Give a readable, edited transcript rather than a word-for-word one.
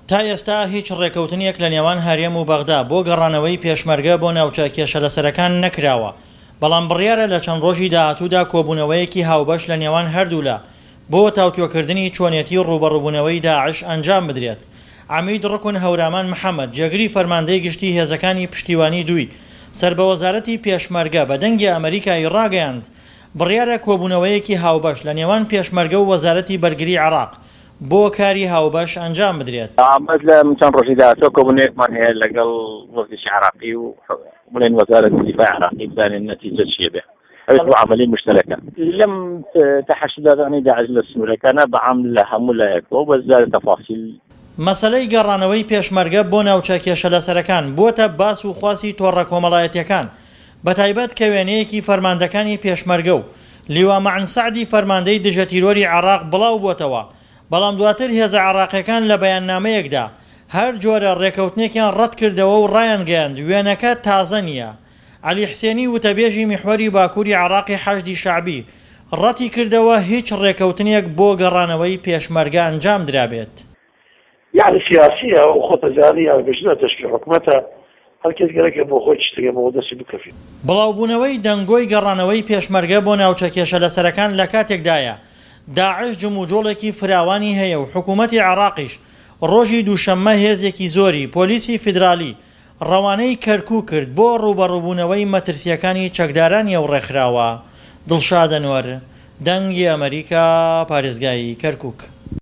تا ئێستا هیچ ڕێکەوتنێک لە نێوان هەرێم و بەغدا بۆ گەڕانەوەی پێشمەرگە بۆ ناوچە کێشەلەسەرەکان نەکراوە، بەڵام بڕیارە لە چەند ڕۆژی داهاتوودا کۆبوونەوەیەکی هاوبەش لە نێوان هەردوولا بۆ تاوتوێکردنی چۆنێتی ڕووبەڕووبوونەوەی داعش ئەنجام بدرێت. عەمید ڕوکن هەورامان محەمەد، جێگری فەرماندەی گشتی هێزەکانی پشتیوانی دووی سەر بە وەزارەتی پێشمەرگە بە دەنگی ئەمەریکا ی ڕاگەیاند، بڕیارە کۆبوونەوەیەکی هاوبەش لە نێوان پێشمەرگە و وەزارەتی بەرگری عێراق بۆ کاری هاوبەش ئەنجام بدرێت. بەس لە چەند ڕۆژی داهاتووە کۆبوونەوەیەکمان هەیە لەگەڵ وەفدێکی عێراقی و بڵێن وەزارەتی دیفاع عێراقی بزانین نەتیجە چییە بێ. ئەوێت بۆ عەمەلی مشتەرەکە. لەم تەحەشدادانەی داعش لە سنوورەکانە بە عام لە هەموو لایەکەوە بە زیادە تەفاسیل. مەسەلەی گەڕانەوەی پێشمەرگە بۆ ناوچە کێشەلەسەرەکان بووەتە باس و خواسی تۆڕە کۆمەڵایەتیەکان، بەتایبەت کە وێنەیەکی فەرماندەکانی پێشمەرگە و لیوا مەعن سەعدی فەرماندەی دژەتیرۆری عێراق بڵاوبووەتەوە، بەڵام دواتر هێزە عێراقیەکان لە بەیاننامەیەکدا هەر جۆرە ڕێکەوتنێکیان ڕەتکردەوە و ڕایانگەیاند وێنەکە تازە نییە. عەلی حسێنی وتەبێژی میحوەری باکوری عێراقی حەشدی شەعبی ڕەتیکردەوە هیچ ڕێکەوتنێک بۆ گەڕانەوەی پێشمەرگە ئەنجام درابێت. یەعنی سیاسیە و خۆت ئەزانی یان بژنە تەشکیل حکومەتە هەر کەس گەرەکە بۆ خۆی چشتەکە بۆ دەستی بکەفی. بڵاوبوونەوەی دەنگۆی گەڕانەوەی پێشمەرگە بۆ ناوچە کێشەلەسەرەکان لەکاتێکدایە، داعش جموجۆڵێکی فراوانی هەیە و حکومەتی عێراقیش ڕۆژی دووشەممە هێزێکی زۆری پۆلیسی فیدرالی ڕەوانەی کەرکوک کرد بۆ ڕووبەڕووبوونەوەی مەترسییەکانی چەکدارانی ئەو ڕێکخراوە. دڵشاد ئەنوەر، دەنگی ئەمەریکا، پارێزگای کەرکوک.